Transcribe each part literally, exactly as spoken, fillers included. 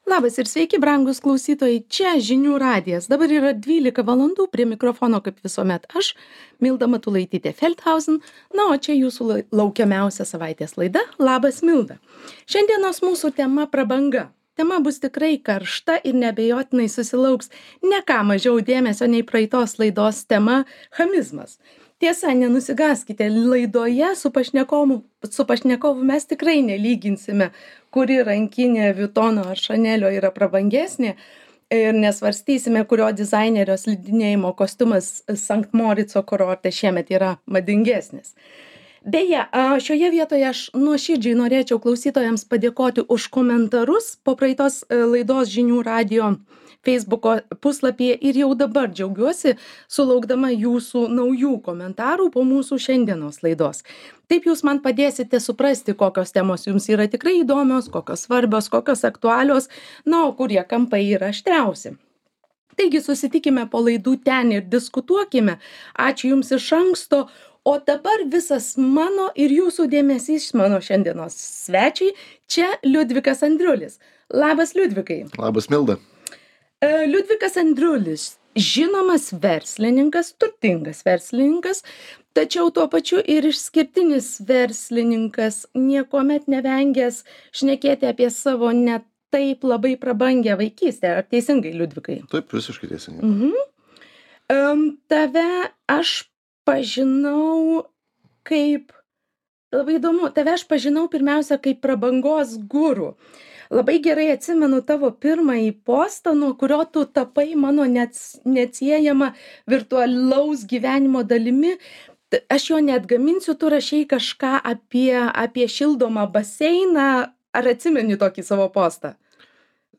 Labas ir sveiki, brangūs klausytojai. Čia žinių radijas. Dabar yra dvylika valandų prie mikrofono, kaip visuomet aš, Milda Matulaitytė Feldhausen. Na, o čia jūsų lai- laukiamiausia savaitės laida. Labas, Milda. Šiandienos mūsų tema prabanga. Tema bus tikrai karšta ir neabejotinai susilauks ne ką mažiau dėmesio nei praeitos laidos tema - chamizmas. Tiesa, nenusigaskite, laidoje su pašnekovu, su pašnekovu mes tikrai nelyginsime, kuri rankinė Vuittono ar Chanelio yra prabangesnė ir nesvarstysime, kurio dizainerio slidinėjimo kostiumas Sankt Morico kurorte šiemet yra madingesnis. Beje, a, šioje vietoje aš nuoširdžiai norėčiau klausytojams padėkoti už komentarus po praeitos e, laidos žinių radijo Facebooko puslapyje ir jau dabar džiaugiuosi sulaukdama jūsų naujų komentarų po mūsų šiandienos laidos. Taip jūs man padėsite suprasti, kokios temos jums yra tikrai įdomios, kokios svarbios, kokios aktualios, na, o kurie kampai yra aštriausi. Taigi susitikime po laidų ten ir diskutuokime. Ačiū Jums iš anksto. O dabar visas mano ir jūsų dėmesys mano šiandienos svečiai. Čia Liudvikas Andriulis. Labas, Liudvikai. Labas, Milda. E, Liudvikas Andriulis, žinomas verslininkas, turtingas verslininkas, tačiau tuo pačiu ir išskirtinis verslininkas, niekuomet nevengęs šnekėti apie savo ne taip labai prabangią vaikystę. Ar teisingai, Liudvikai? Taip, visiškai teisingai. Mhm. Um, tave aš pažinau kaip, labai įdomu, tave aš pažinau pirmiausia kaip prabangos guru. Labai gerai atsimenu tavo pirmąjį postą, nuo kurio tu tapai mano neats- neatsiejama virtualaus gyvenimo dalimi. T- Aš jo neatgaminsiu, tu rašei kažką apie, apie šildomą baseiną. Ar atsimeni tokį savo postą?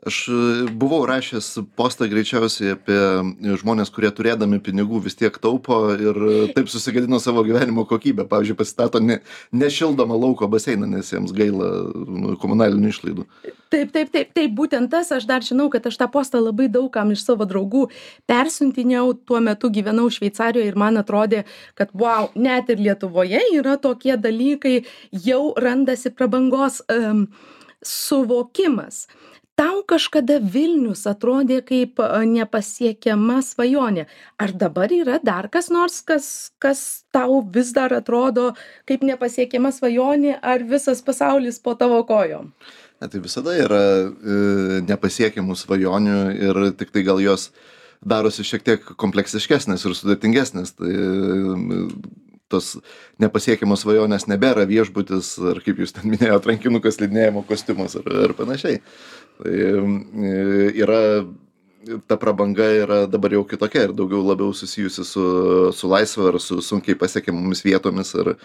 Aš e, buvau rašęs postą greičiausiai apie žmonės, kurie turėdami pinigų vis tiek taupo ir e, taip susigadino savo gyvenimo kokybę. Pavyzdžiui, pasistato ne, nešildomą lauko baseiną, nes jiems gaila nu, komunalinių išlaidų. Taip, taip, taip, taip, būtent tas, aš dar žinau, kad aš tą postą labai daugam iš savo draugų persiuntinėjau, tuo metu gyvenau Šveicarijoje ir man atrodė, kad wow, net ir Lietuvoje yra tokie dalykai, jau randasi prabangos um, suvokimas. Tau kažkada Vilnius atrodė kaip a, nepasiekiama svajonė. Ar dabar yra dar kas nors, kas, kas tau vis dar atrodo kaip nepasiekiama svajonė, ar visas pasaulis po tavo kojom? Ne, tai visada yra e, nepasiekiamų svajonių ir tik tai gal jos darosi šiek tiek kompleksiškesnės ir sudėtingesnės. Tai e, tos nepasiekiamos svajonės nebėra viešbutis, ar kaip jūs ten minėjote, rankinukas, slidinėjimo kostiumas ar, ar panašiai. Tai e, yra, ta prabanga yra dabar jau kitokia ir daugiau labiau susijusi su, su laisve ar su sunkiai pasiekiamomis vietomis ar e,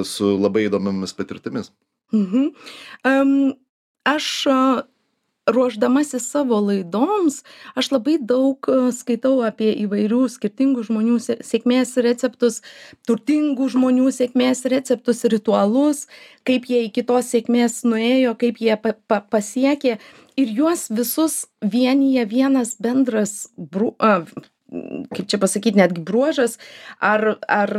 su labai įdomiamis patirtimis. Mhm. Um, aš a, ruošdamasi savo laidoms, aš labai daug a, skaitau apie įvairių skirtingų žmonių sė- sėkmės receptus, turtingų žmonių sėkmės receptus, ritualus, kaip jie iki tos sėkmės nuėjo, kaip jie pa, pa, pasiekė. Ir juos visus vienyje vienas bendras, bru, a, kaip čia pasakyti, netgi bruožas, ar, ar,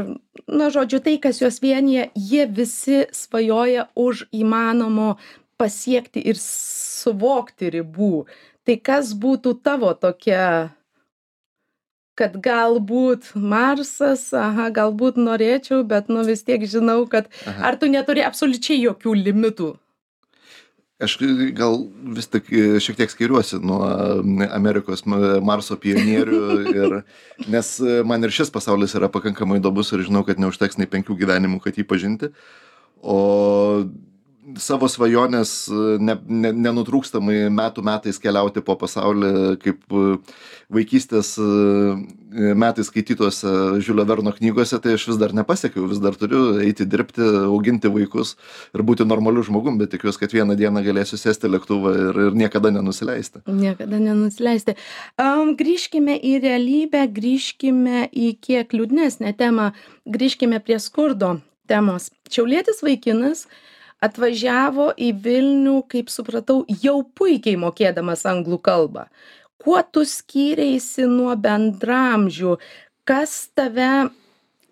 na, žodžiu, tai, kas juos vienyje, jie visi svajoja už įmanomo pasiekti ir suvokti ribų. Tai kas būtų tavo tokia, kad galbūt Marsas, aha, galbūt norėčiau, bet nu vis tiek žinau, kad Aha. ar tu neturi absoliučiai jokių limitų? Aš gal vis tik e, šiek tiek skiriuosi nuo Amerikos m- Marso pionierių, ir, nes e, man ir šis pasaulis yra pakankamai įdomus ir žinau, kad neužteks nei penkių gyvenimų, kad jį pažinti. O savo svajonės e, ne, ne, nenutrūkstamai metų metais keliauti po pasaulį, kaip e, vaikystės e, metais skaitytose Žiulio Verno knygose, tai aš vis dar nepasiekiau, vis dar turiu eiti dirbti, auginti vaikus ir būti normaliu žmogum, bet tikiuosi, kad vieną dieną galėsiu sėsti lėktuvą ir, ir niekada nenusileisti. Niekada nenusileisti. Um, grįžkime į realybę, grįžkime į kiek liūdnesnę temą, grįžkime prie skurdo temos. Šiaulietis vaikinas atvažiavo į Vilnių, kaip supratau, jau puikiai mokėdamas anglų kalbą. Kuo tu skyreisi nuo bendramžių? Kas tave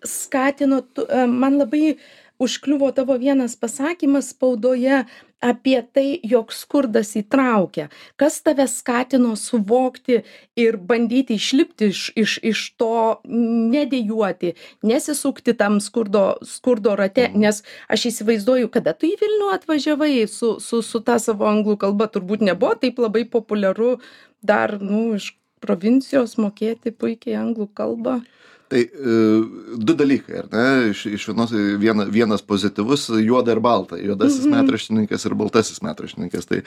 skatino? Tu, e, man labai užkliuvo tavo vienas pasakymas spaudoje, apie tai, jog skurdas įtraukia. Kas tave skatino suvokti ir bandyti išlipti iš, iš, iš to, nedėjuoti, nesisukti tam skurdo, skurdo rate, Mhm. nes aš įsivaizduoju, kada tu į Vilnių atvažiavai su, su, su ta savo anglų kalba, turbūt nebuvo taip labai populiaru dar, nu, iš provincijos mokėti puikiai anglų kalbą. Tai e, du dalykai, ar ne? Iš, iš vienos, viena, vienas pozityvus, juoda ir balta. Juodasis Mhm. metraštininkas ir baltasis metraštininkas. Tai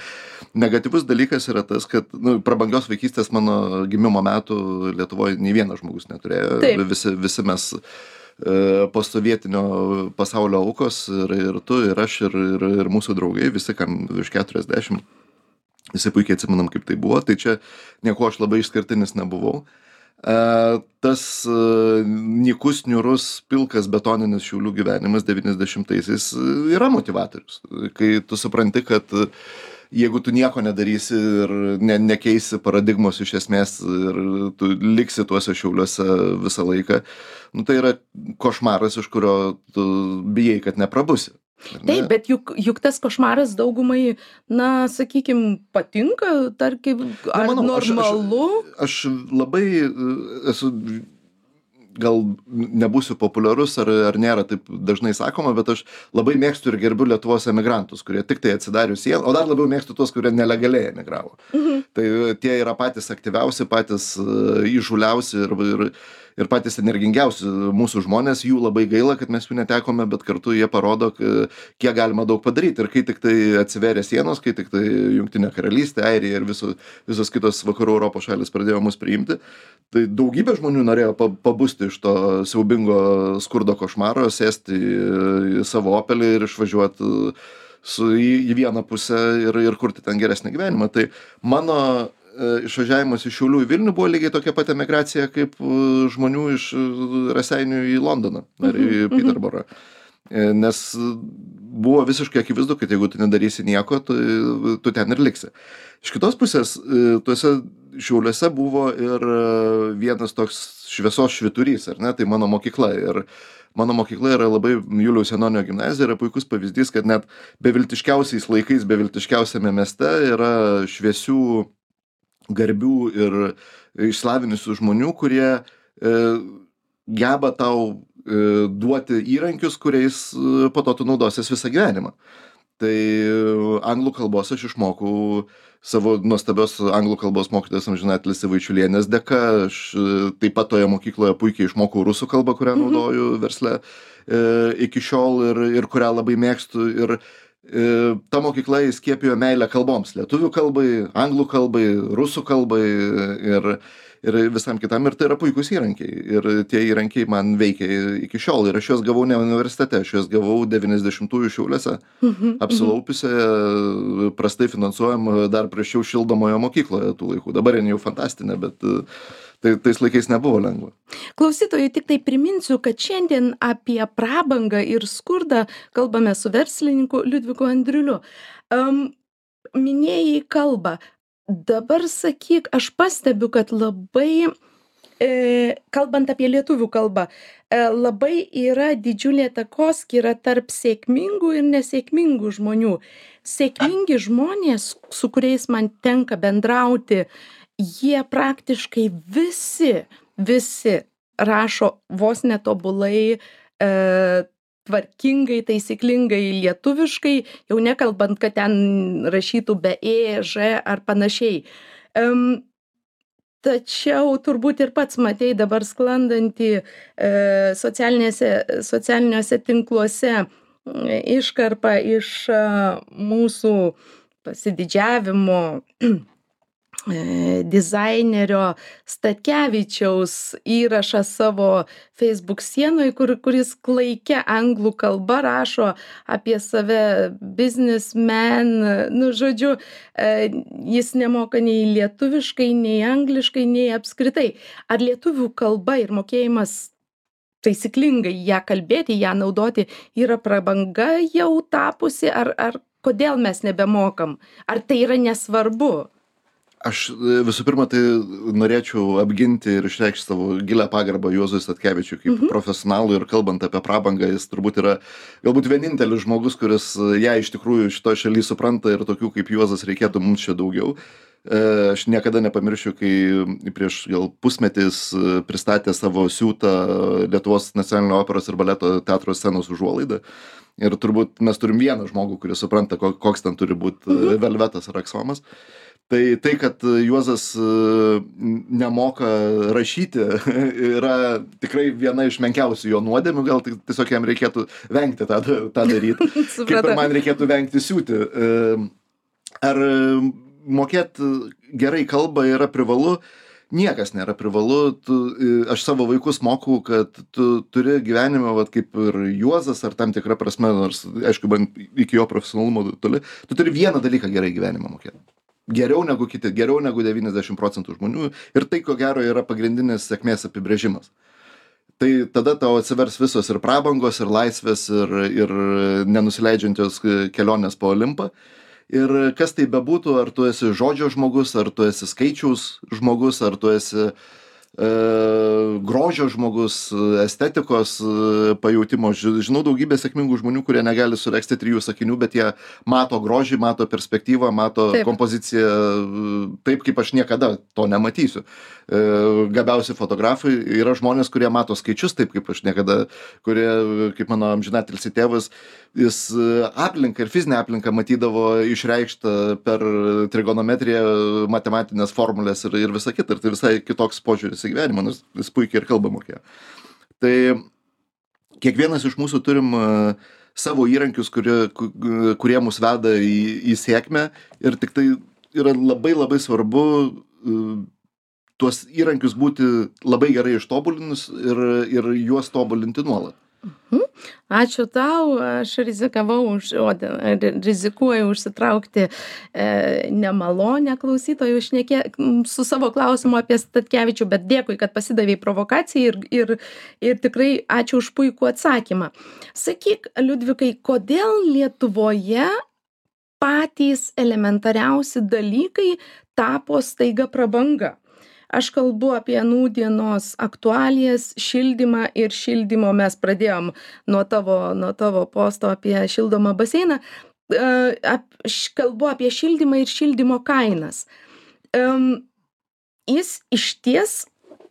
negatyvus dalykas yra tas, kad nu, prabangios vaikystės mano gimimo metų Lietuvoje nei vienas žmogus neturėjo. Taip. Visi, visi mes e, postsovietinio pasaulio aukos ir, ir tu, ir aš, ir, ir, ir mūsų draugai, visi, kam virš keturiasdešimt. Visi puikiai atsimenam, kaip tai buvo. Tai čia nieko aš labai išskirtinis nebuvau. Uh, tas uh, nykus, niūrus, pilkas betoninis Šiaulių gyvenimas devyniasdešimtaisiais yra motivatorius. Kai tu supranti, kad uh, jeigu tu nieko nedarysi ir ne, nekeisi paradigmos iš esmės ir tu liksi tuose Šiauliuose visą laiką, nu, tai yra košmaras, iš kurio tu bijai, kad neprabusi. Taip, bet juk, juk tas košmaras daugumai, na, sakykim, patinka, tarkim, ar Nemanau, aš- normalu? Aš, aš labai e, esu, gal nebūsiu populiarus, ar, ar nėra taip dažnai sakoma, bet aš labai mėgstu ir gerbiu Lietuvos emigrantus, kurie tik tai atsidarius sieną, o dar labiau mėgstu tuos, kurie nelegaliai emigravo. Mhm. Tai tie yra patys aktyviausi, patys e, įžūliausi ir, ir, ir patys energingiausi mūsų žmonės. Jų labai gaila, kad mes jų netekome, bet kartu jie parodo, k- kiek galima daug padaryti. Ir kai tik tai atsiveria sienos, kai tik tai Jungtinė karalystė, Airija ir visos, visos kitos vakarų Europos šalis pradėjo mus priimti, tai daugybė žmonių norėjo pa- pabusti iš to siaubingo skurdo košmaro, sėsti į, į savo Opelį ir išvažiuoti su, į, į vieną pusę ir, ir kurti ten geresnį gyvenimą. Tai mano e, išvažiavimas iš Šiaulių į Vilnių buvo lygiai tokia pat emigracija kaip e, žmonių iš e, Raseinių į Londoną ar į Mhm, mhm. Peterborą. E, Nes buvo visiškai akivaizdu, kad jeigu tu nedarysi nieko, tu, tu ten ir liksi. Iš kitos pusės, e, tuose Šiauliuose buvo ir e, vienas toks šviesos švyturys, ar ne, tai mano mokykla. Ir mano mokykla yra labai, Juliaus Janonio gimnazija yra puikus pavyzdys, kad net beviltiškiausiais laikais, beviltiškiausiame mieste yra šviesių, garbių ir išslavinusių žmonių, kurie e, geba tau e, duoti įrankius, kuriais e, po to tu naudosies visą gyvenimą. Tai e, anglų kalbos aš išmokau savo nuostabios anglų kalbos mokytojos amžinatilsį Vaičiulienės dėka. Aš e, taip pat toje mokykloje puikiai išmokau rusų kalbą, kurią Mhm. naudoju versle e, iki šiol ir, ir kurią labai mėgstu. Ir e, ta mokykla įskiepijo meilę kalboms. Lietuvių kalbai, anglų kalbai, rusų kalbai ir, ir visam kitam. Ir tai yra puikūs įrankiai. Ir tie įrankiai man veikia iki šiol. Ir aš juos gavau ne universitete, aš juos gavau devyniasdešimtųjų Šiauliuose, Mhm, apsilaupiusioje, prastai finansuojama, dar prašiau šildomoje mokykloje tų laikų. Dabar jin jau fantastinė, bet e, tai, tais laikais nebuvo lengva. Klausytojui tik tai priminsiu, kad šiandien apie prabangą ir skurdą kalbame su verslininku Liudviku Andriuliu. Um, minėjai kalbą. Dabar sakyk, aš pastebiu, kad labai, e, kalbant apie lietuvių kalbą, e, labai yra didžiulė takoskyra tarp sėkmingų ir nesėkmingų žmonių. Sėkmingi žmonės, su kuriais man tenka bendrauti, jie praktiškai visi, visi rašo vos netobulai, e, tvarkingai, taisyklingai lietuviškai, jau nekalbant, kad ten rašytų be e, ž ar panašiai. Em, tačiau turbūt ir pats matei dabar sklandantį e, socialinėse, socialiniuose tinkluose e, iškarpą iš e, mūsų pasididžiavimo e, dizainerio Statkevičiaus įrašą savo Facebook sienoje, kur, kuris klaikia anglų kalba rašo apie save businessman, nu žodžiu, e, jis nemoka nei lietuviškai, nei angliškai, nei apskritai. Ar lietuvių kalba ir mokėjimas taisyklingai ją kalbėti, ją naudoti yra prabanga jau tapusi, ar, ar kodėl mes nebemokam? Ar tai yra nesvarbu? Aš visų pirma, tai norėčiau apginti ir išreikšti savo gilę pagarbą Juozui Statkevičiui kaip Mhm. profesionalui ir kalbant apie prabangą, jis turbūt yra galbūt vienintelis žmogus, kuris ją iš tikrųjų šitoje šalyje supranta ir tokių kaip Juozas reikėtų mums čia daugiau. E, Aš niekada nepamiršiu, kai prieš gal pusmetis pristatė savo siūtą Lietuvos nacionalinio operos ir baleto teatro scenos užuolaidą. Ir turbūt mes turim vieną žmogų, kuris supranta, ko- koks ten turi būti Mhm. velvetas ar aksomas. Tai tai, kad Juozas e, nemoka rašyti, yra tikrai viena iš menkiausių jo nuodėmių, gal tik- tiesiog jam reikėtų vengti tą, tą daryti. Kaip ir Supratau. man reikėtų vengti siūti. E, Ar mokėti gerai kalbą yra privalu? Niekas nėra privalu. Tu, e, aš savo vaikus mokau, kad tu turi gyvenime, vat, kaip ir Juozas, ar tam tikra prasme, nors, aišku, man iki jo profesionalumo toli, tu turi vieną dalyką gerai gyvenime mokėti. Geriau negu kiti, geriau negu devyniasdešimt procentų žmonių. Ir tai, ko gero, yra pagrindinis sėkmės apibrėžimas. Tai tada tau atsivers visos ir prabangos, ir laisvės, ir, ir nenusileidžiančios kelionės po Olimpą. Ir kas tai bebūtų, ar tu esi žodžio žmogus, ar tu esi skaičiaus žmogus, ar tu esi e, grožio žmogus, estetikos e, pajautimo. Ži- Žinau daugybę sėkmingų žmonių, kurie negali suregzti trijų sakinių, bet jie mato grožį, mato perspektyvą, mato Taip. kompoziciją e, taip, kaip aš niekada to nematysiu. E, Gabiausi fotografai yra žmonės, kurie mato skaičius taip, kaip aš niekada, kurie, kaip mano amžinatilsį tėvas, jis e, aplinką ir fizinę aplinką matydavo išreikštą per trigonometriją, matematinės formulės ir, ir visą kitą. Ir tai visai kitoks požiūris į gyvenimą, nors jis puikiai ir kalbą mokėjo. Tai kiekvienas iš mūsų turim e, savo įrankius, kurie, ku- kurie mus veda į, į sėkmę ir tik tai yra labai labai svarbu e, tuos įrankius būti labai gerai ištobulinus ir, ir juos tobulinti nuolat. Ačiū tau, aš rizikavau, už, o, de- ri- rizikuoju užsitraukti e, nemalonę klausytojų šnekė m, su savo klausimu apie Statkevičių, bet dėkui, kad pasidavei provokacijai ir, ir, ir tikrai ačiū už puikų atsakymą. Sakyk, Liudvikai, kodėl Lietuvoje patys elementariausi dalykai tapo staiga prabanga? Aš kalbu apie nūdienos aktualijas, šildymą ir šildymo mes pradėjom nuo tavo, nuo tavo posto apie šildomą baseiną. E, ap, š- kalbu apie šildymą ir šildymo kainas. Em, Jis išties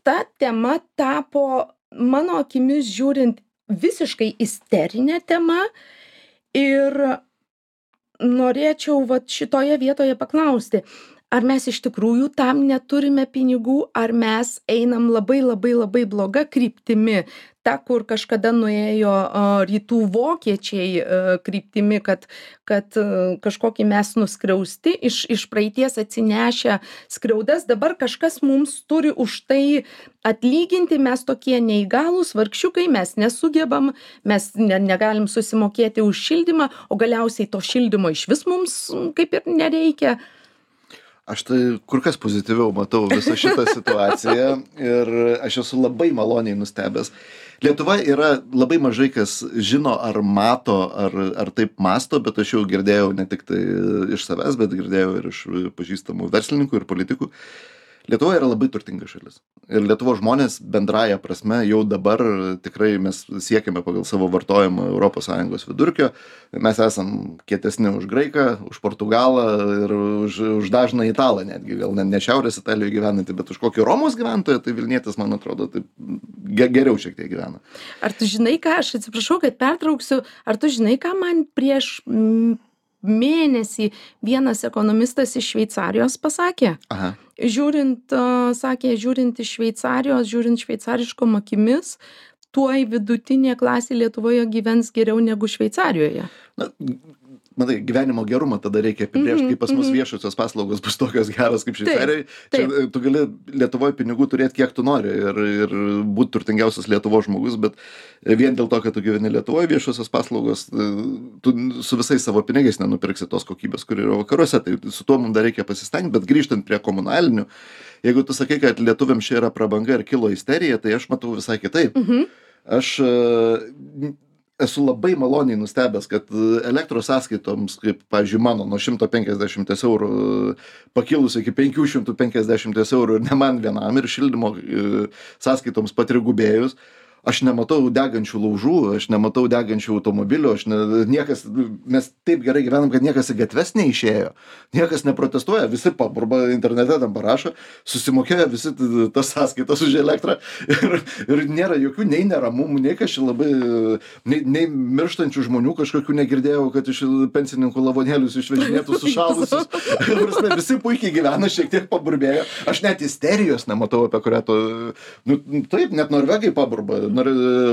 ta tema tapo, mano akimis žiūrint, visiškai isterinė tema ir norėčiau vat šitoje vietoje paklausti, ar mes iš tikrųjų tam neturime pinigų, ar mes einam labai labai labai bloga kryptimi, ta, kur kažkada nuėjo a, rytų vokiečiai a, kryptimi, kad, kad a, kažkokį mes nuskriausti, iš, iš praeities atsinešę skriaudas, dabar kažkas mums turi už tai atlyginti, mes tokie neįgalūs, vargšiukai, mes nesugebam, mes ne, negalim susimokėti už šildymą, o galiausiai to šildymo iš vis mums mm, kaip ir nereikia. Aš tai kur kas pozityviau matau visą šitą situaciją ir aš esu labai maloniai nustebęs. Lietuva yra labai mažai kas žino ar mato, ar, ar taip masto, bet aš jau girdėjau ne tik tai iš savęs, bet girdėjau ir iš pažįstamų verslininkų ir politikų. Lietuva yra labai turtinga šalis. Ir Lietuvos žmonės bendraja prasme jau dabar tikrai mes siekiame pagal savo vartojimą Europos Sąjungos vidurkio. Mes esam kietesni už graiką, už portugalą ir už, už dažną italą netgi. Gal ne, ne šiaurės Italijoje gyvenantį, bet už kokį Romos gyventoją, tai Vilnietis, man atrodo, taip ge- geriau šiek tiek gyvena. Ar tu žinai ką, aš atsiprašau, kad pertrauksiu, ar tu žinai, ką man prieš mm, mėnesį vienas ekonomistas iš Šveicarijos pasakė? Aha. Žiūrint, a, sakė, žiūrint iš Šveicarijos, žiūrint šveicariškom akimis, tuoj vidutinė klasė Lietuvoje gyvens geriau negu Šveicarijoje. Na, matai, gyvenimo gerumą tada reikia apibrėžti, Mhm, kaip pas mus mhm. viešosios paslaugos bus tokios geros kaip Šveicarijoje. taip. Čia tu gali Lietuvoje pinigų turėti kiek tu nori ir, ir būti turtingiausias Lietuvos žmogus, bet vien dėl to, kad tu gyveni Lietuvoje, viešosios paslaugos, tu su visais savo pinigais nenupirksi tos kokybės, kur yra vakaruose. Tai su tuo mums dar reikia pasistengti, bet grįžtant prie komunalinių, jeigu tu sakai, kad lietuviams čia yra prabanga ir kilo isterija, tai aš matau visai kitaip. Mhm. Aš e, esu labai maloniai nustebęs, kad elektros sąskaitoms, kaip, pavyzdžiui, mano, nuo šimto penkiasdešimties eurų pakilus iki penkių šimtų penkiasdešimties eurų ir ne man vienam, ir šildymo sąskaitoms patrigubėjus, aš nematau degančių laužų, aš nematau degančių automobilių, aš ne, niekas, mes taip gerai gyvenam, kad niekas į gatves neišėjo, niekas neprotestuoja, visi paburba, internete tam parašo, susimokėjo visi tas sąskaitas už elektrą ir, ir nėra jokių nei neramumų, nei kažkaip labai, nei, nei mirštančių žmonių kažkokių negirdėjau, kad iš pensininkų lavonėlius išvežinėtų sušalusius. Visi puikiai gyvena, šiek tiek paburbėjo, aš net isterijos nematau, apie kurią to, nu, taip, net norvegai paburba. Nor,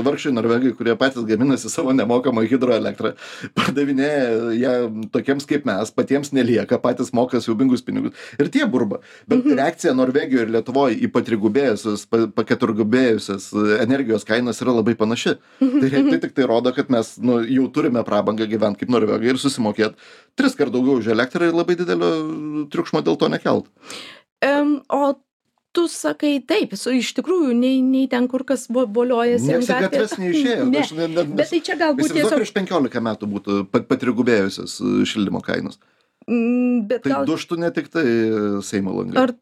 vargšai norvegai, kurie patys gaminasi savo nemokamą hidroelektrą, pardavinėja ją tokiems kaip mes, patiems nelieka, patys moka siaubingus pinigus. Ir tie burba. Bet mhm. reakcija Norvegijoje ir Lietuvoje į patrigubėjusias, paketurgubėjusias energijos kainas yra labai panaši. Mhm. Tai, tai tik tai rodo, kad mes nu, jau turime prabangą gyventi kaip Norvegai ir susimokėti tris kart daugiau už elektrą ir labai didelio triukšmo dėl to nekelt. Um, o tu sakai taip, su, iš tikrųjų, nei, nei ten kur kas boliojasi. Niekas į gatves neišėjo. Ne. Aš, ne, ne, bet tai čia galbūt tiesiog... prieš penkiolika metų būtų patrigubėjusios šildymo kainos. Mm, bet tai gal... duštų ne tik tai Seimo langai. Ar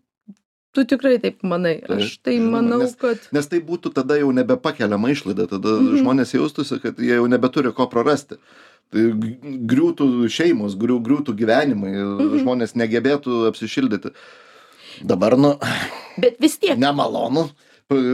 tu tikrai taip manai? Tai, aš tai manau, nes, kad... Nes tai būtų tada jau nebepakeliama išlaida, tada mm-hmm. žmonės jaustųsi, kad jie jau nebeturi ko prarasti. Tai griūtų šeimos, griū, griūtų gyvenimai, mm-hmm. žmonės negebėtų apsišildyti. Dabar, nu, bet vis tiek nemalonu.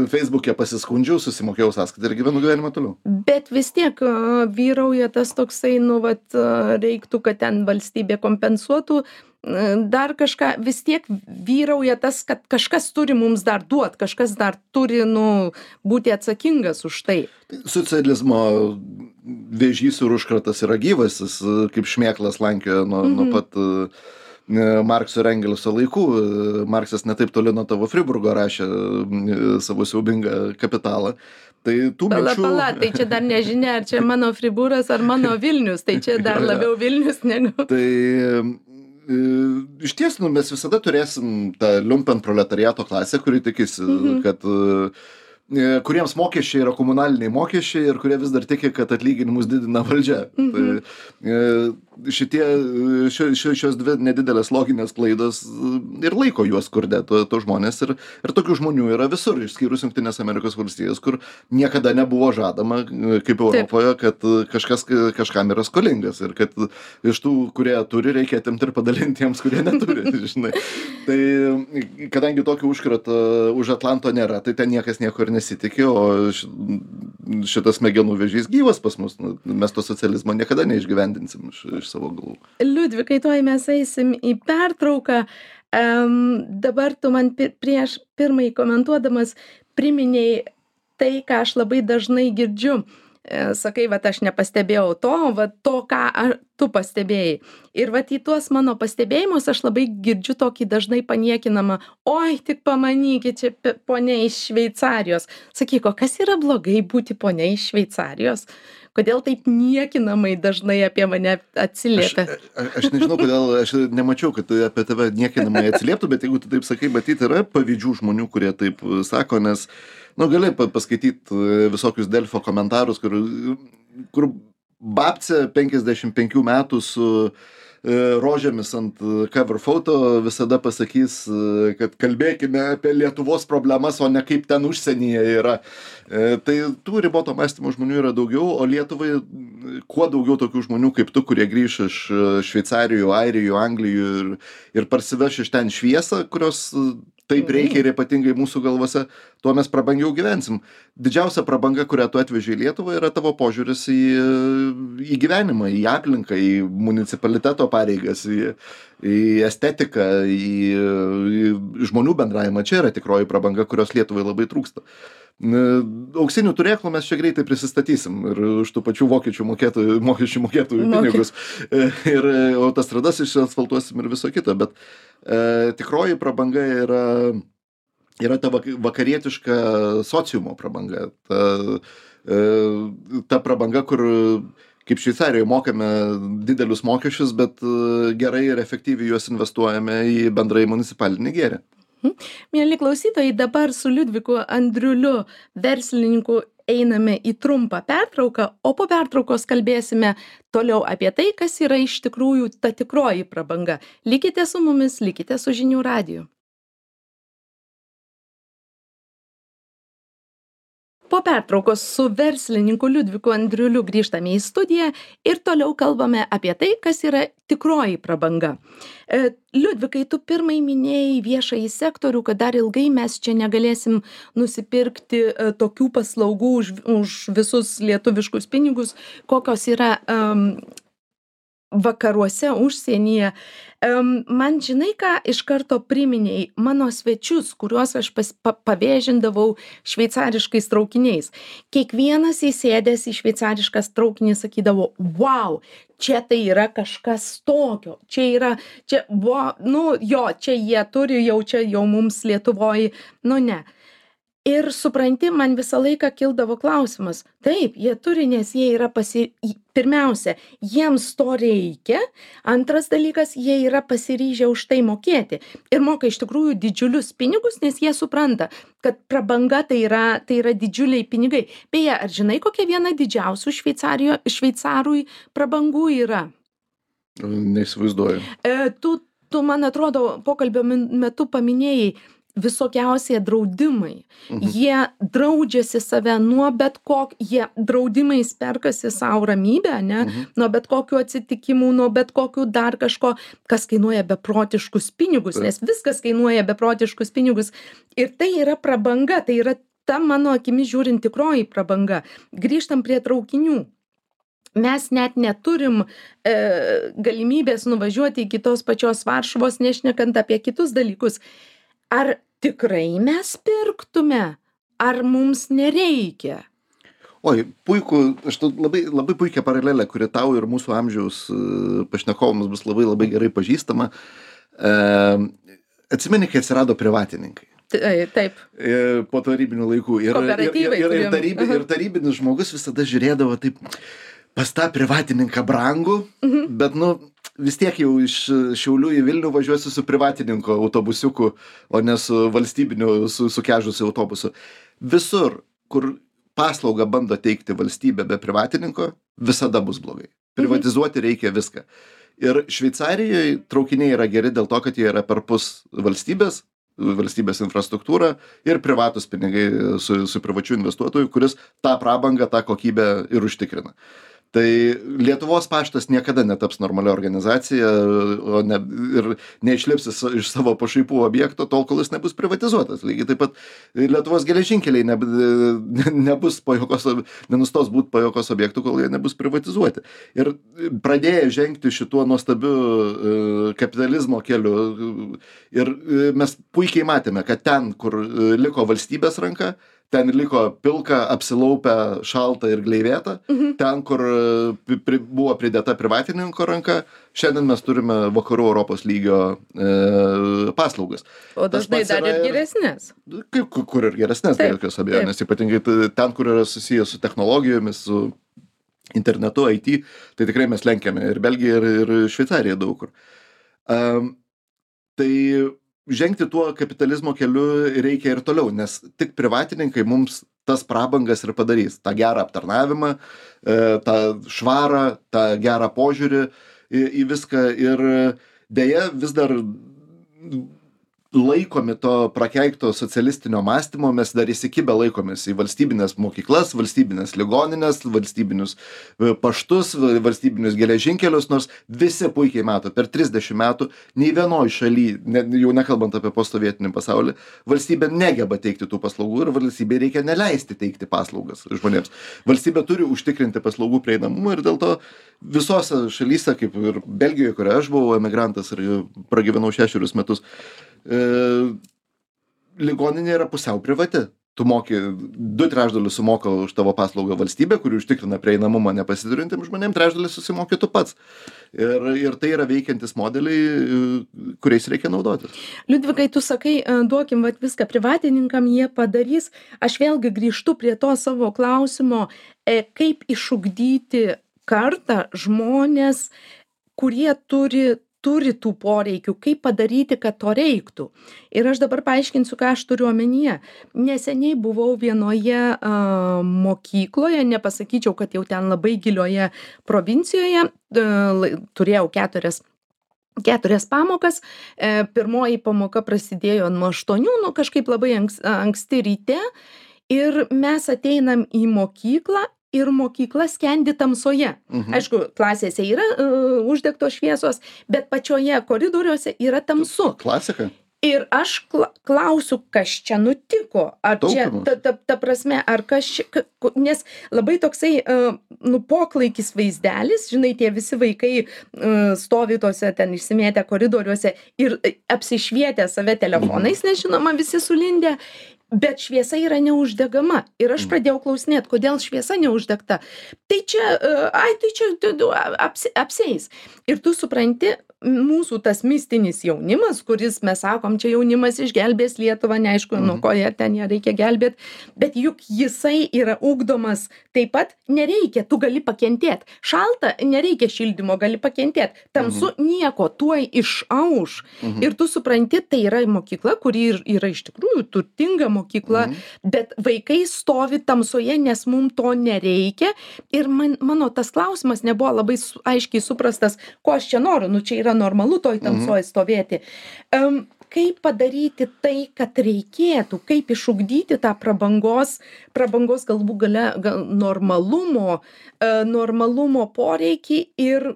Facebook'e pasiskundžiau, susimokėjau sąskaitą ir gyvenu gyvenimą toliau. Bet vis tiek uh, vyrauja tas toksai, nu, vat, uh, reiktų, kad ten valstybė kompensuotų, uh, dar kažką, vis tiek vyrauja tas, kad kažkas turi mums dar duot, kažkas dar turi, nu, būti atsakingas už tai. Socializmo vėžys ir užkratas yra gyvas, jis kaip šmėklas lankioja nuo, mm-hmm. nuo pat... Uh, Markso ir Engelso laikų. Marksas netaip toli nuo tavo Friburgo rašė savo siaubingą kapitalą. Tai tų pala, minčių... Pala, tai čia dar nežinia, ar čia mano Friburas, ar mano Vilnius, tai čia dar labiau Vilnius negu... Tai iš ties, nu, mes visada turėsim tą lumpen proletariato klasę, kuri tikisi, mhm. kad... kuriems mokesčiai yra komunaliniai mokesčiai ir kurie vis dar tiki, kad atlyginimus didina valdžia. Mhm. Tai šitie, šios, šios dvi nedidelės loginės klaidos ir laiko juos skurde, to, to žmonės. Ir, ir tokių žmonių yra visur, išskyrus Jungtinės Amerikos valstijos, kur niekada nebuvo žadama, kaip Europoje, kad kažkas kažkam yra skolingas ir kad iš tų, kurie turi, reikia atimti ir padalinti tiems, kurie neturi. Žinai. Tai kadangi tokio užkrato už Atlanto nėra, tai ten niekas nieko ir nesitikė, o šitas smegenų vėžys gyvas pas mus. Mes to socializmo niekada neišgyvendinsim iš, iš savo galvų. Liudvikai, tuoj mes eisim į pertrauką. Um, dabar tu man pir prieš pirmai komentuodamas priminėjai tai, ką aš labai dažnai girdžiu. E, sakai, vat aš nepastebėjau to, vat to, ką ar, tu pastebėjai. Ir vat į tuos mano pastebėjimus aš labai girdžiu tokį dažnai paniekinamą, oi, tik pamanykit, čia ponia iš Šveicarijos. Sakyk, o kas yra blogai būti ponia iš Šveicarijos? Kodėl taip niekinamai dažnai apie mane atsiliepia? Aš, aš, aš nežinau, kodėl, aš nemačiau, kad apie tave niekinamai atsilieptų, bet jeigu tu taip sakai, matyti yra pavyzdžių žmonių, kurie taip sako, nes, nu, gali paskaityti visokius Delfio komentarus, kur, kur babcė penkiasdešimt penkių metų su rožėmis ant cover foto visada pasakys, kad kalbėkime apie Lietuvos problemas, o ne kaip ten užsienyje yra. Tai tų riboto mąstymo žmonių yra daugiau, o Lietuvai kuo daugiau tokių žmonių kaip tu, kurie grįš iš Šveicarijų, Airijų, Anglijų ir, ir parsiveš iš ten šviesą, kurios taip reikia ir ypatingai mūsų galvose, tuo mes prabangiau gyvensim. Didžiausia prabanga, kurią tu atveži į Lietuvą, yra tavo požiūris į, į gyvenimą, į aplinką, į municipaliteto pareigas, į, į estetiką, į, į žmonių bendravimą. Čia yra tikroji prabanga, kurios Lietuvai labai trūksta. Auksinių turėklų mes čia greitai prisistatysim ir už tų pačių vokiečių mokėtojų, mokesčių mokėtojų pinigus. Ir autostradas išasfaltuosim ir viso kito, bet e, tikroji prabanga yra, yra ta vakarietiška sociumo prabanga. Ta, e, ta prabanga, kur kaip Šveicarijoje mokame didelius mokesčius, bet gerai ir efektyviai juos investuojame į bendrai municipalinį gėrį. Mieli klausytojai, dabar su Liudviku Andriuliu, verslininku, einame į trumpą pertrauką, o po pertraukos kalbėsime toliau apie tai, kas yra iš tikrųjų ta tikroji prabanga. Likite su mumis, likite su Žinių radiju. Po pertraukos su verslininku Liudviku Andriuliu grįžtame į studiją ir toliau kalbame apie tai, kas yra tikroji prabanga. Liudvikai, tu pirmai minėjai viešąjį sektorių, kad dar ilgai mes čia negalėsim nusipirkti tokių paslaugų už, už visus lietuviškus pinigus, kokios yra um, vakaruose, užsienyje. Um, man žinai, ką iš karto priminėjai mano svečius, kuriuos aš pas, pa, pavėžindavau šveicariškais traukiniais. Kiekvienas įsėdęs į šveicariškas traukinį sakydavo, wow, čia tai yra kažkas tokio, čia yra, čia, wow, nu jo, čia jie turi, jau čia jau mums Lietuvoj, nu ne. Ir supranti, man visą laiką kildavo klausimas, taip, jie turi, nes jie yra pasi... Pirmiausia, jiems to reikia, antras dalykas, jie yra pasiryžę už tai mokėti ir moka iš tikrųjų didžiulius pinigus, nes jie supranta, kad prabanga tai yra, tai yra didžiuliai pinigai. Beje, ar žinai, kokia viena didžiausių šveicarui prabangų yra? Neįsivaizduoju. E, tu, tu, man atrodo, pokalbio metu paminėjai, visokiausie draudimai. Mhm. Jie draudžiasi save nuo bet kok, jie draudimais perkasi savo ramybę, ne? Mhm. Nuo bet kokių atsitikimų, nuo bet kokių dar kažko, kas kainuoja beprotiškus pinigus, nes viskas kainuoja beprotiškus pinigus. Ir tai yra prabanga, tai yra ta mano akimis žiūrint tikroji prabanga. Grįžtam prie traukinių. Mes net neturim e, galimybės nuvažiuoti iki tos pačios Varšuvos, nešnekant apie kitus dalykus. Ar tikrai mes pirktume, ar mums nereikia? Oi, puiku, aš labai, labai puikia paralelė, kuri tau ir mūsų amžiaus pašnekovams bus labai labai gerai pažįstama. E, atsimeni, kai atsirado privatininkai. Taip. Po tarybinių laikų. Ir, Kooperatyvai. Ir, ir, ir, tarybi, ir tarybinis žmogus visada žiūrėdavo taip, pas tą privatininką brangų, mhm. bet, nu, vis tiek jau iš Šiaulių į Vilnių važiuosiu su privatininko autobusiuku, o ne su valstybiniu, su, su kežusiu autobusu. Visur, kur paslaugą bando teikti valstybė be privatininko, visada bus blogai. Privatizuoti reikia viską. Ir Šveicarijoje traukiniai yra geri dėl to, kad jie yra perpus valstybės, valstybės infrastruktūra ir privatus pinigai su, su privačiu investuotoju, kuris tą prabangą, tą kokybę ir užtikrina. Tai Lietuvos paštas niekada netaps normalia organizacija, o ne, ir neišlips iš savo pašaipų objekto, tol, kol jis nebus privatizuotas. Lygiai taip pat Lietuvos geležinkeliai ne, nebus po jokos, nenustos būti po jokos objektų, kol jie nebus privatizuoti. Ir pradėję žengti šituo nuostabiu kapitalizmo keliu, ir mes puikiai matėme, kad ten, kur liko valstybės ranka, ten liko pilka, apsilaupę, šalta ir gleivėta. Mhm. Ten, kur pri, buvo pridėta privatininko ranka, šiandien mes turime vakarų Europos lygio e, paslaugas. O dažnai dar ir geresnės. Kaip, kur ir geresnės, be jokios abejonės. Ypatingai ten, kur yra susijęs su technologijomis, su internetu, I T, tai tikrai mes lenkiame ir Belgiją, ir, ir Šveicariją daug kur. Um, tai žengti tuo kapitalizmo keliu reikia ir toliau, nes tik privatininkai mums tas prabangas ir padarys. Ta gerą aptarnavimą, tą švarą, tą gerą požiūrį į, į viską. Ir deja vis dar laikomi to prakeikto socialistinio mąstymo, mes dar įsikibę laikomės į valstybinės mokyklas, valstybinės ligoninės, valstybinius paštus, valstybinius geležinkelius, nors visi puikiai mato, per trisdešimt metų nei vienoj šaly, ne, jau nekalbant apie postsovietinį pasaulį, valstybė negeba teikti tų paslaugų ir valstybė reikia neleisti teikti paslaugas žmonėms. Valstybė turi užtikrinti paslaugų prieinamumą ir dėl to visose šalyse, kaip ir Belgijoje, kurioje aš buvau emigrantas ir pragyvenau šešerius metus, E, ligoninė yra pusiau privati. Tu moki, du trečdalius sumoka už tavo paslaugą valstybė, kuri užtikrina prieinamumą nepasiturintiems žmonėms, trečdalis susimoki tu pats. Ir, ir tai yra veikiantis modeliai, kuriais reikia naudotis. Liudvikai, tu sakai, duokim vat viską privatininkam, jie padarys. Aš vėlgi grįžtu prie to savo klausimo, kaip išugdyti kartą žmonės, kurie turi turi tų poreikių, kaip padaryti, kad to reiktų. Ir aš dabar paaiškinsiu, ką aš turiu omenyje. Neseniai buvau vienoje uh, mokykloje, nepasakyčiau, kad jau ten labai gilioje provincijoje, uh, turėjau keturias keturias pamokas. E, pirmoji pamoka prasidėjo nuo aštuonių, nu kažkaip labai anks, anksti ryte. Ir mes ateinam į mokyklą ir mokykla skendi tamsoje. Mhm. Aišku, klasėse yra uh, uždegtos šviesos, bet pačioje koridoriuose yra tamsu. Klasika. Ir aš kla klausiu, kas čia nutiko. Ar čia, ta, ta, ta prasme, ar kas čia, nes labai toksai, uh, nu, poklaikis vaizdelis, žinai, tie visi vaikai uh, stovi tose ten išsimėtę koridoriuose ir apsišvietę save telefonais, nes žinoma, visi sulindę. Bet šviesa yra neuždegama. Ir aš pradėjau klausinėti, kodėl šviesa neuždegta. Tai čia, ai, tai čia apsi, apsieis. Ir tu supranti, mūsų tas mistinis jaunimas, kuris mes sakom, čia jaunimas išgelbės Lietuvą, neaišku, nuo ko jie ten ją reikia gelbėti, bet juk jisai yra ugdomas taip pat, nereikia, tu gali pakentėti. Šalta, nereikia šildymo, gali pakentėti. Tamsu nieko, tuoj išauš. Ir tu supranti, tai yra mokykla, kuri yra iš tikrųjų turtinga mokykla, bet vaikai stovi tamsoje, nes mums to nereikia. Ir man, mano tas klausimas nebuvo labai su, aiškiai suprastas, ko aš čia noriu, nu čia yra normalu toj tamsoje stovėti. Um, kaip padaryti tai, kad reikėtų, kaip išugdyti tą prabangos, prabangos galbūt gale, gal, normalumo, uh, normalumo poreikį ir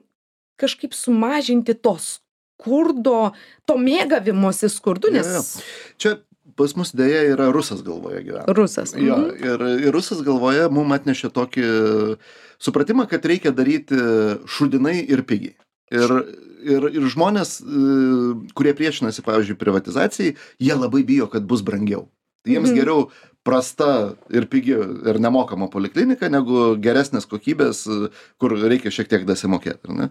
kažkaip sumažinti to skurdo, to mėgavimosi skurdu, nes... Ja, ja. Čia pas mus dėja yra rusas galvoje gyvena. Rusas. Jo, ir, ir rusas galvoje mum atnešė tokį supratimą, kad reikia daryti šudinai ir pigiai. Ir, ir, ir žmonės, kurie priešinasi, pavyzdžiui, privatizacijai, jie labai bijo, kad bus brangiau. Jiems mhm. geriau prasta ir pigi ir nemokama poliklinika, negu geresnės kokybės, kur reikia šiek tiek dasimokėti. Ne?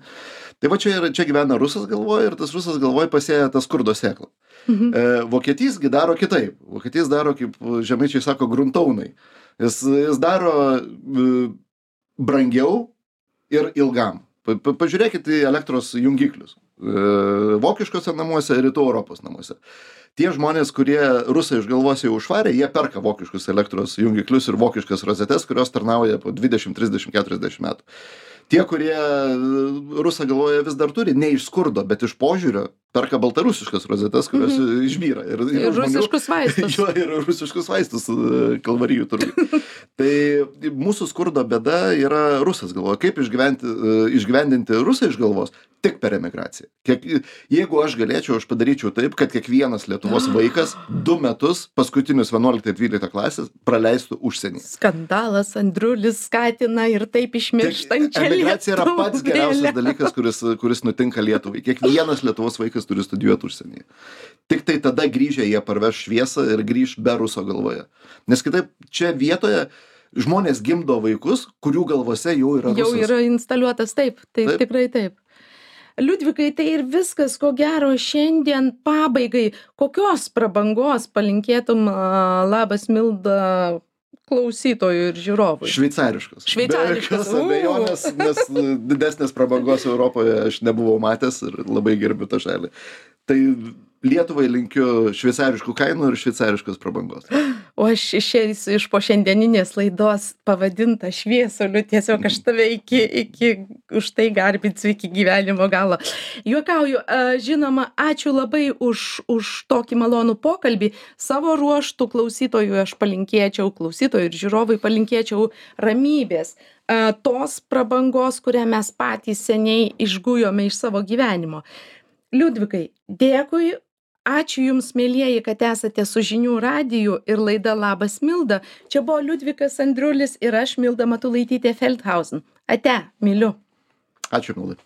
Tai va čia, čia gyvena rusas galvoje ir tas rusas galvoje pasėja tą skurdo sėklą. Mhm. E, Vokietijsgi daro kitaip. Vokietijs daro, kaip žemaičiai sako, gruntaunai. Jis, jis daro e, brangiau ir ilgam. Pa, pa, pažiūrėkit į elektros jungiklius. E, vokiškose namuose ir rytų Europos namuose. Tie žmonės, kurie rusai iš galvos jau užvarė, jie perka vokiškus elektros jungiklius ir vokiškas rozetes, kurios tarnauja po dvidešimt, trisdešimt, keturiasdešimt metų. Tie, kurie rusą galvoje vis dar turi, ne iš skurdo, bet iš požiūrio, perka baltarusiškas rozetes, kurios mm-hmm. išbyra. Ir, ir, ir rusiškus vaistus. Jo, ir rusiškus vaistus kalvarijų turbūt. Tai mūsų skurdo bėda yra rusas galvoje. Kaip išgyvendinti rusą iš galvos? Tik per emigraciją. Kiek, jeigu aš galėčiau, aš padaryčiau taip, kad kiekvienas Lietuvos vaikas du metus, paskutinius vienuoliktą dvyliktą klasės, praleistų užsienį. Skandalas, Andriulis skatina ir taip išmirštančią Lietuvą. Emigracija yra pats geriausias dalykas, kuris, kuris nutinka Lietuvai. Kiekvienas Lietuvos vaikas turi studijuoti užsienyje. Tik tai tada grįžę jie parveš šviesą ir grįž be ruso galvoje. Nes kitaip čia vietoje žmonės gimdo vaikus, kurių galvose jau yra rusas. Jau yra instaliuotas, taip, taip, taip. Tikrai taip. Liudvikai, tai ir viskas, ko gero, šiandien pabaigai. Kokios prabangos palinkėtum, labas Milda, klausytojų ir žiūrovų? Šveicariškos. Šveicariškos. Be jokios abejonės, nes didesnės prabangos Europoje aš nebuvau matęs ir labai gerbiu tą šalį. Tai Lietuvai linkiu šveicariškų kainų ir šveicariškos prabangos. O aš išeisiu iš po šiandieninės laidos pavadinta šviesuliu, tiesiog aš tave iki, iki už tai garbinsiu iki gyvenimo galo. Juokauju, žinoma, ačiū labai už, už tokį malonų pokalbį. Savo ruoštų klausytojų aš palinkėčiau, klausytojų ir žiūrovai palinkėčiau ramybės. Tos prabangos, kurią mes patys seniai išgujome iš savo gyvenimo. Liudvikai, dėkui. Ačiū Jums, mielieji, kad esate su Žinių radiju ir laida Labas Milda. Čia buvo Liudvikas Andriulis ir aš, Milda Matulaitytė Feldhausen. Ate, myliu. Ačiū, Milda.